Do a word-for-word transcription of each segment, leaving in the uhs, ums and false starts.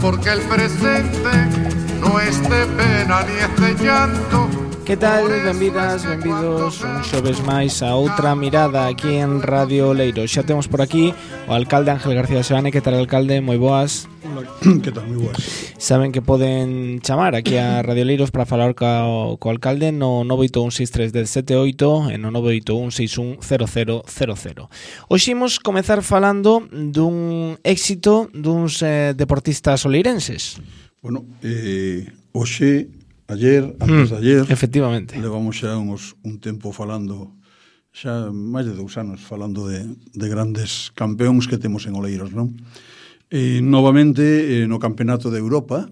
porque el presente no es de pena ni es de llanto. Que tal? Benvidas, benvidos un xoves máis a outra mirada aquí en Radio Leiro. Xa temos por aquí o alcalde Ángel García Seoane. Que tal, alcalde? Moi boas. Hola, que tal? Moi boas. Saben que poden chamar aquí a Radio Leiros para falar co, co alcalde no nove oito un seis tres uno sete oito e no nove oito un seis un cero cero cero cero. Hoxe imos comezar falando dun éxito duns eh, deportistas oleirenses. Bueno, eh, hoxe... Ayer, antes de ayer, mm, efectivamente, levamos xa uns, un tempo falando, xa máis de dous anos, falando de, de grandes campeóns que temos en Oleiros, non? E, novamente, eh, no Campeonato de Europa,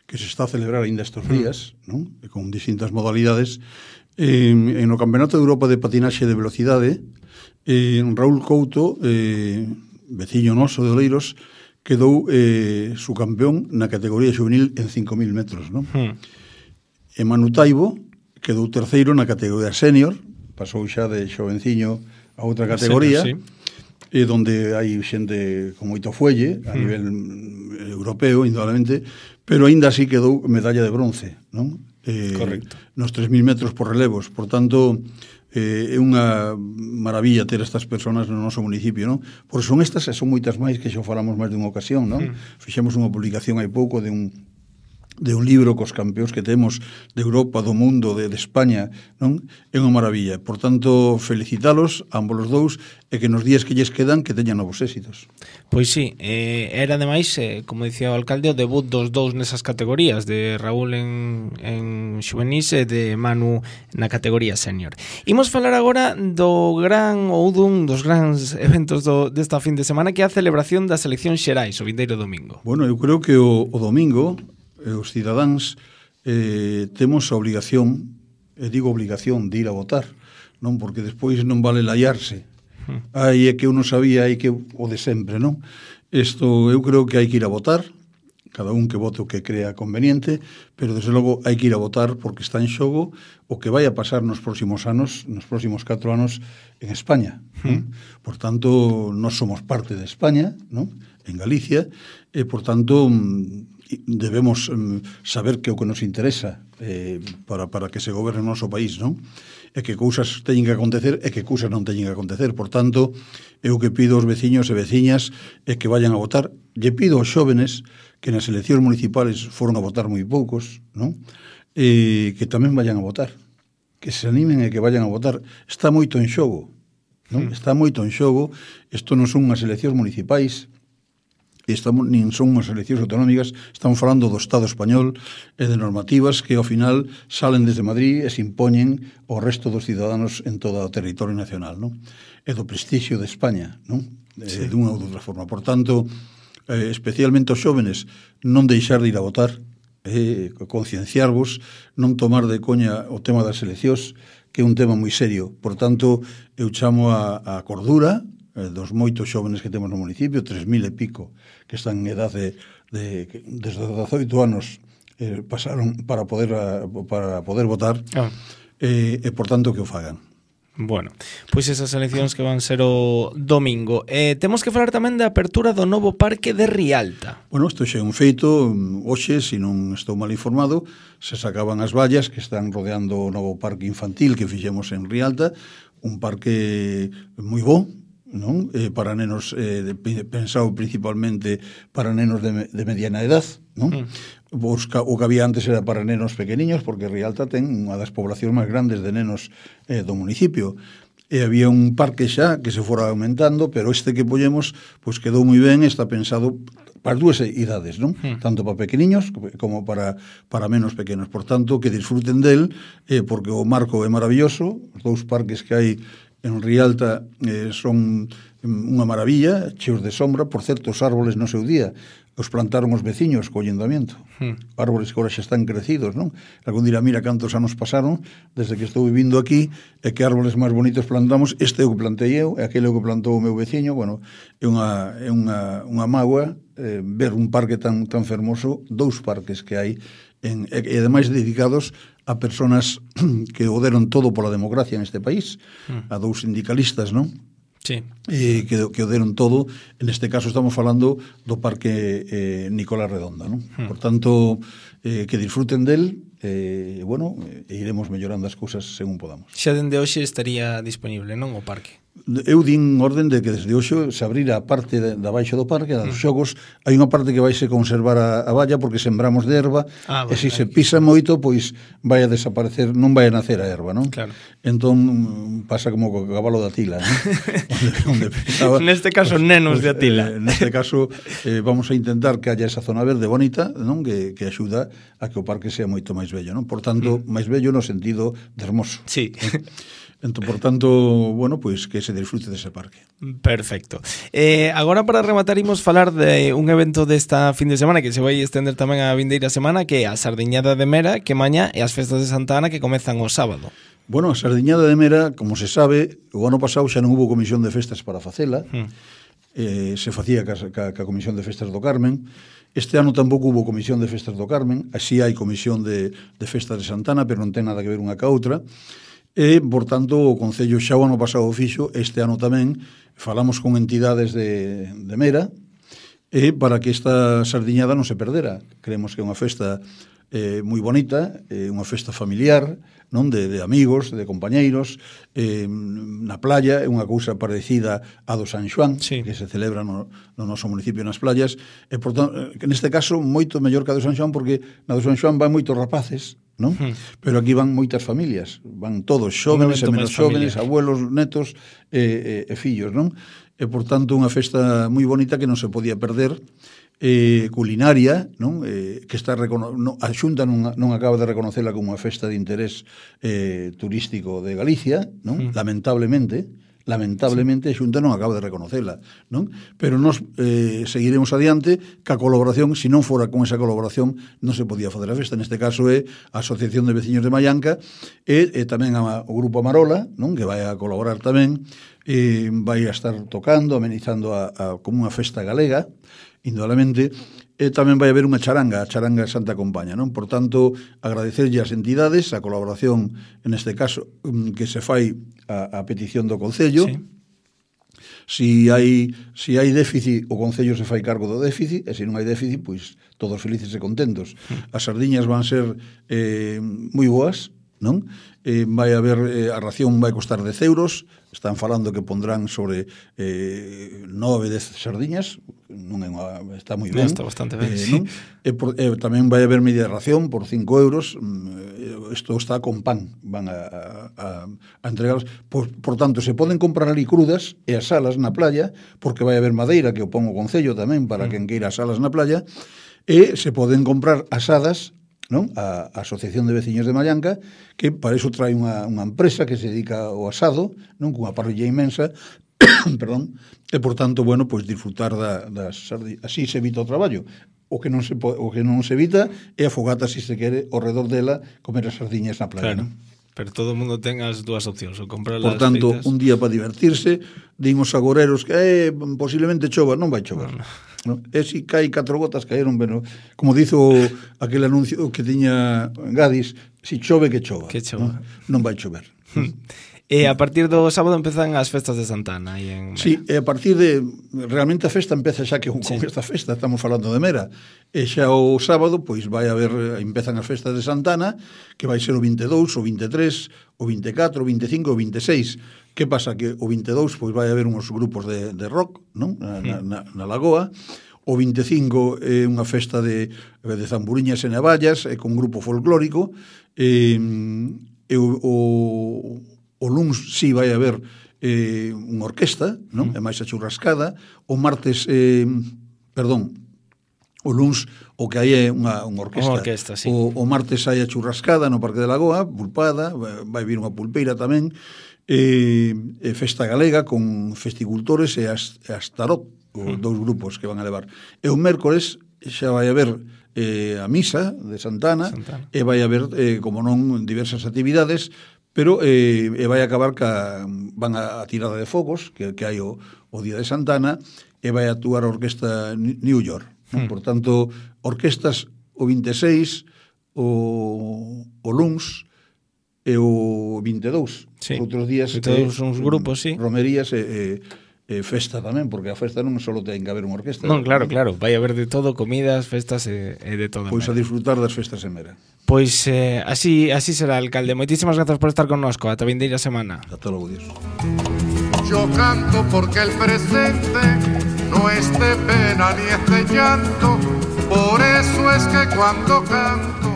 que se está a celebrar ainda estes días, mm. non? E con distintas modalidades, eh, en no Campeonato de Europa de Patinaxe de Velocidade, eh, Raúl Couto, eh, veciño noso de Oleiros, quedou eh, su campeón na categoría juvenil en cinco mil metros, non? Mm. E Manu Taibo quedou terceiro na categoría senior, pasou xa de xovenciño a outra categoría, senior, sí. E donde hai xente con moito fuelle a mm. nivel europeo, indudablemente, pero aínda así quedou medalla de bronce, non? Eh, Correcto. Nos tres mil metros por relevos, por tanto, eh, é unha maravilla ter estas persoas no noso municipio, non? Por son estas e son moitas máis que xa falamos máis dunha ocasión, non? Mm. Fixemos unha publicación hai pouco de un de un libro cos campeóns que temos de Europa, do mundo, de, de España, non? É unha maravilla. Por tanto, felicitalos a ambos os dous e que nos días que lles quedan que teñan novos éxitos. Pois sí, eh, era ademais, eh, como dicía o alcalde, o debut dos dous nesas categorías, de Raúl en, en xuvenís e de Manu na categoría senior. Imos falar agora do gran ou dun dos grandes eventos do, desta fin de semana, que é a celebración das eleccións xerais, o vindeiro domingo. Bueno, eu creo que o, o domingo os cidadáns eh, temos a obligación, e digo obligación, de ir a votar, non? Porque despois non vale laiarse. Aí é que uno sabía, aí que o de sempre, non? Isto, eu creo que hai que ir a votar, cada un que vote o que crea conveniente, pero desde logo hai que ir a votar porque está en xogo o que vai a pasar nos próximos anos, nos próximos catro anos en España, non? Por tanto, nós somos parte de España, non? En Galicia, e por tanto debemos um, saber que o que nos interesa eh, para, para que se goberne o noso país, non? E que cousas teñen que acontecer e que cousas non teñen que acontecer. Por tanto, eu que pido aos veciños e veciñas é que vayan a votar. Lle pido aos xóvenes que nas eleccións municipales foron a votar moi poucos, non? E que tamén vayan a votar. Que se animen e que vayan a votar. Está moito en xogo, non? Está moito en xogo. Isto non son unhas eleccións municipais, estamos, nin son unhas eleccións autonómicas, estamos falando do Estado español e de normativas que ao final salen desde Madrid e se impoñen ao resto dos ciudadanos en todo o territorio nacional, non? E do prestixio de España, non? Sí. De unha ou de outra forma. Por tanto, eh, especialmente os xóvenes, non deixar de ir a votar, eh, concienciarvos, non tomar de coña o tema das eleccións, que é un tema moi serio. Por tanto, eu chamo a, a cordura dos moitos xóvenes que temos no municipio, tres mil e pico, que están en edade de, de desde os dezaoito anos eh, pasaron para poder para poder votar, ah. eh, e por tanto que o fagan. Bueno, pois esas eleccións que van ser o domingo. Eh, temos que falar tamén da apertura do novo parque de Rialta. Bueno, isto xa é un feito. Hoxe, se non estou mal informado, se sacaban as vallas que están rodeando o novo parque infantil que fixemos en Rialta, un parque moi bo, non? Eh, para nenos, eh, de, pensado principalmente para nenos de, de mediana edad, non? Mm. Busca, o que había antes era para nenos pequeniños, porque Rialta ten unha das poblacións máis grandes de nenos eh, do municipio, e había un parque xa que se fora aumentando, pero este que poñemos pois quedou moi ben, está pensado para as dúas idades, non? Mm. Tanto para pequeniños como para, para menos pequenos. Por tanto, que disfruten del, eh, porque o marco é maravilloso, os dous parques que hai en Rialta eh, son unha maravilla, cheos de sombra. Por certo, os árboles no seu día os plantaron os veciños co ayuntamiento. Hmm. Árboles que agora xa están crecidos, non? Algún dirá, mira cantos anos pasaron desde que estou vivindo aquí e que árboles máis bonitos plantamos. Este é o que plantei eu, e aquele é o que plantou o meu veciño. Bueno, é unha, é unha, unha mágoa eh, ver un parque tan, tan fermoso, dous parques que hai, en, e, e ademais dedicados a persoas que o deron todo pola democracia neste país, mm. a dous sindicalistas, non? Sí. eh, que, que o deron todo. En este caso estamos falando do Parque eh, Nicolás Redonda, non? Hmm. Por tanto, eh, que disfruten del, e, eh, bueno, e iremos mellorando as cousas según podamos. Xa dende hoxe estaría disponible, non, o parque? Eu din orden de que desde hoxe se abrirá a parte de, de abaixo do parque, dos xogos. Hai unha parte que vaise conservar a, a valla porque sembramos de erva, ah, e se se pisa moito, pois vai a desaparecer, non vai a nacer a erva, non? Claro. Entón pasa como co cabalo da Tila, non? onde, onde pisaba, neste caso, pues, nenos pues, de Atila. Eh, neste caso, eh, vamos a intentar que haya esa zona verde bonita, non? Que, que axuda a que o parque sea moito máis bello, non? Por tanto, mm. máis bello no sentido de hermoso. Sí. ¿no? Entón, por tanto, bueno, pois pues, que se disfrute dese parque. Perfecto. Eh, agora para rematar imos falar de un evento desta fin de semana que se vai estender tamén a vindeira semana, que é a Sardiñada de Mera, que mañá, e as festas de Santa Ana que comezan o sábado. Bueno, a Sardiñada de Mera, como se sabe, o ano pasado xa non hubo comisión de festas para facela, hmm. eh, se facía ca, ca, ca comisión de festas do Carmen. Este ano tampouco hubo comisión de festas do Carmen, así hai comisión de, de festas de Santa Ana, pero non ten nada que ver unha ca outra. E, por tanto, o Concello xa o ano pasado fixo, este ano tamén, falamos con entidades de, de Mera, e para que esta sardiñada non se perdera. Creemos que é unha festa eh, moi bonita, é eh, unha festa familiar, non de, de amigos, de compañeiros, eh, na playa, é unha cousa parecida a do San Xoán, sí. que se celebra no, no noso municipio nas playas, e, por tanto, neste caso, moito mellor que a do San Xoán, porque na do San Xoán van moitos rapaces, non? Hmm. Pero aquí van moitas familias, van todos xóvenes e menos xóvenes, abuelos, netos e, e, e fillos, non? E, por tanto, unha festa moi bonita que non se podía perder, eh, culinaria, non? Eh, que está recono... no, a Xunta non, non acaba de reconocela como unha festa de interés eh, turístico de Galicia, non? Hmm. Lamentablemente, lamentablemente a Xunta non acaba de reconocela, non? Pero nos eh, seguiremos adiante ca colaboración, se non fora con esa colaboración non se podía fazer a festa. Neste caso é a Asociación de Veciños de Mallanca e, e tamén a, o Grupo Amarola, non? Que vai a colaborar tamén, e vai a estar tocando, amenizando a, a, como unha festa galega, indudablemente, e tamén vai haber unha charanga, a charanga Santa Compaña, non? Por tanto, agradecerlle ás entidades a colaboración, en este caso, que se fai a, a petición do Concello. Sí. Si hai, si hai déficit, o Concello se fai cargo do déficit, e se non hai déficit, pois todos felices e contentos. As sardiñas van ser eh, moi boas, non? Eh, vai haber, eh, a ración vai costar dez euros, están falando que pondrán sobre eh, nove, dez sardiñas, non é unha, está moi ben. Está bastante ben, eh, sí. Non? E, por, e tamén vai haber media ración por cinco euros, isto está con pan, van a, a, a entregarlos. Por, por tanto, se poden comprar ali crudas e as salas na playa, porque vai haber madeira, que o pon o Concello tamén, para mm. quen queira as salas na playa, e se poden comprar asadas, non? A, a Asociación de Veciños de Mallanca, que para iso trae unha, unha empresa que se dedica ao asado, non? Cunha parrilla inmensa, perdón, e por tanto, bueno, pois disfrutar da, das sardiñas. Así se evita o traballo. O que non se po, o que non se evita é a fogata, se se quere, ao redor dela, comer as sardiñas na playa, claro. Non? Pero todo o mundo ten as dúas opcións, ou comprar por as tanto, feitas. Un día para divertirse, din os agoreros que eh, posiblemente chova, non vai chover. No. No? E se cae catro gotas, caeron, bueno, como dizo aquel anuncio que tiña Gadis, si chove que chova, que chova. Non, non vai chover. E a partir do sábado empezan as festas de Santa Ana aí en Mera. Sí, e a partir de realmente a festa empeza xa que con sí. esta festa estamos falando de Mera. E xa o sábado pois vai haber, empezan as festas de Santa Ana, que vai ser o vinte e dous, o vinte e tres, o vinte e catro, o vinte e cinco, o vinte e seis. Que pasa? Que o vinte e dous pois vai haber uns grupos de, de rock, non? Na, sí. na, na Lagoa. O vinte e cinco é unha festa de, de zamburiñas e navallas, e con grupo folclórico. E, e o, o O luns sí vai haber eh, unha orquesta, non? Mm. É máis a churrascada. O martes, eh, perdón, o luns o que hai é unha, unha orquesta. Unha orquesta, sí. O, o martes hai a churrascada no Parque de Lagoa, pulpada, vai vir unha pulpeira tamén, eh, e festa galega con festicultores e as, e as tarot, os mm. dous grupos que van a levar. E o mércores xa vai haber eh, a misa de Santana, Santana. E vai haber, eh, como non, diversas actividades, pero eh, e vai acabar ca, van a, a tirada de fogos que, que hai o, o día de Santana, e vai actuar a orquesta New York, non? Mm. Por tanto, orquestas o vinte e seis, o, o luns, e o vinte e dous. Sí. Outros días todos uns grupos, sí. Romerías e, e, e festa tamén, porque a festa non só ten que haber unha orquesta. Non, claro, claro, vai haber de todo, comidas, festas e, e de todo. Pois a disfrutar das festas en Mera. Pois eh, así así será, alcalde. Moitísimas grazas por estar connosco. Ata vindeira semana. Ata logo, Dios. Yo canto porque el presente no es de pena ni es de llanto, por eso es que cuando canto